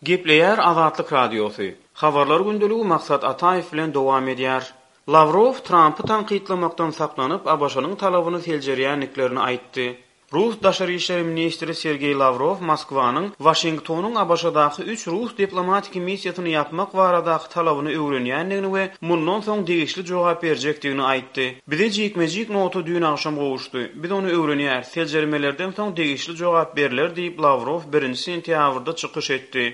Gepleýär Azatlyk Radiosy. Habarlar gündeligi Maksat Ataýew bilen dowam edýär. Lawrow Trampy tankytlamakdan saklanyp, ABŞ-nyň talabyny seljerýändiklerini aýtdy. Rus daşary işler ministri Sergeý Lawrow Moskwanyň Waşingtonyň ABŞ-daky üç rus diplomatiki missiýasyny ýapmak baradaky talabyny öwrenýändigini we mundan soň degişli jogap berjekdigini aýtdy. Bize jikme-jik nota düýn agşam gowuşdy. Biz ony öwrenýäris, seljermelerden soň degişli jogap berler diýip, Lawrow birinji sentýabrda çykyş etdi.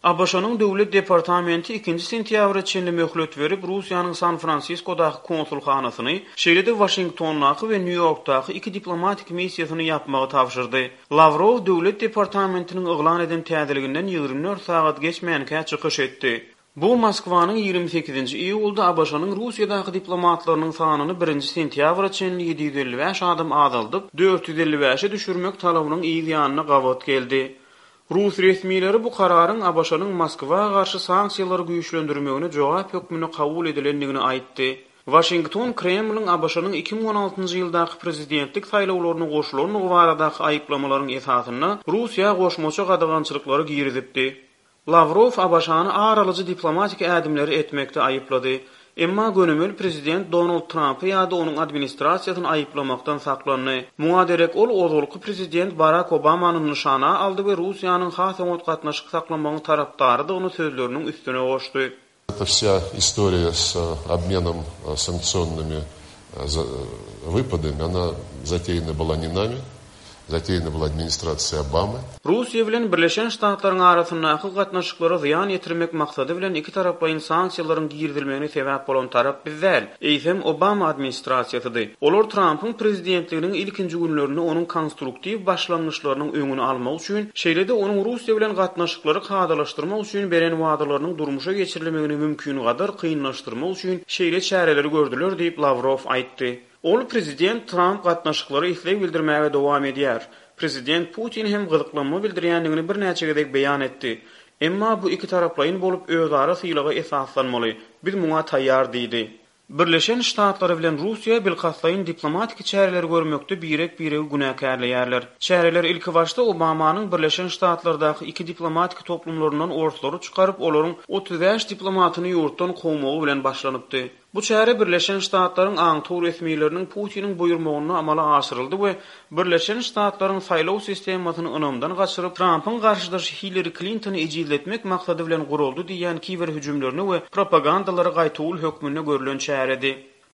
ABŞ-nyň Döwlet departamenti ikinji sentýabra çenli möhlet berip, Russiýanyň San-Fransiskodaky konsulhanasyny, şeýle-de Waşingtondaky we Nýu-Ýorkdaky iki diplomatik missiýasyny ýapmagy tabşyrdy. Lawrow Döwlet departamentiniň yglan eden täzeliginden 24 sagat geçmänkä çykyş etdi. Bu Moskwanyň 28-nji iýulda ABŞ-nyň Russiýadaky diplomatlarynyň sanyny birinji sentýabra çenli 755 adam azaldyp, 455-e düşürmek talabynyň yz ýanyna gabat geldi. Rus resmileri bu kararyň ABŞ-nyň Moskwa garşy sanksiýalary güýçlendirmegine jogap hökmünde kabul edilendigini aýtdy. Waşington Kremliň ABŞ-nyň 2016-njy ýyldaky prezidentlik saýlawlaryna goşulandygy baradaky aýyplamalaryň esasynda Russiýa goşmaça gadagançylyklary girizipdi. Lawrow ABŞ-ny ar alyjy diplomatik ädimleri etmekde aýyplady. Emma gönümel prezident Donald Trampy ýa-da onuň administrasiýasyny aýyplamakdan saklandy. Muňa derek ol ozalky prezident Barak Obamany nyşana aldy we Russiýanyň has oňat gatnaşyk saklamagyň tarapdarydygyny sözleriniň üstüne goşdy. Эта вся история с обменом санкционными выпадами, она затеяна была не нами, затеяна была администрацией Обамы. Russiýa bilen Birleşen Ştatlaryň arasyndaky gatnaşyklara zyýan ýetirmek maksady bilen ikitaraplaýyn sanksiýalaryň girizilmegine sebäp bolan tarap biz däl, eýsem Obama administrasiýasydy. Olar Trampyň prezidentliginiň ilkinji günlerinde onuň konstruktiw başlangyçlarynyň öňüni almak üçin, şeýle-de onuň Russiýa bilen gatnaşyklary kadalaşdyrmak üçin beren wadalarynyň durmuşa geçirilmegini mümkingadar kynlaşdyrmak üçin şeýle çäreleri gördüler diýip, Lawrow aýtdy. Ol prezident Tramp gatnaşyklara isleg bildirmäge dowam edýär. Prezident Putin hem gyzyklanma bildirýändigini birnäçe gezek beýan etdi. Emma bu ikitaraplaýyn bolup, özara sylaga esaslanmaly. Biz muňa taýýar diýdi. Birleşen Ştatlary bilen Russiýa bilkastlaýyn diplomatiki çäreleri görmekde birek-biregi günäkärleýärler. Çäreler ilkibaşda Obamanyň Birleşen Ştatlardaky iki diplomatiki toplumlaryndan orslary çykaryp, olaryň 35 diplomatyny ýurtdan kowmagy bilen başlanypdy. Bu çäre Birleşen Ştatlaryň aňtaw resmileriniň Putiniň buýurmagynda amala aşyryldy we Birleşen Ştatlaryň saýlaw sistemasyny ynamdan gaçyryp, Trampyň garşydaşy Hillari Klintony ejizletmek maksady bilen guraldy diýýän kiber hüjümlerine we propagandalara gaýtawul hökmünde görlen çäredi.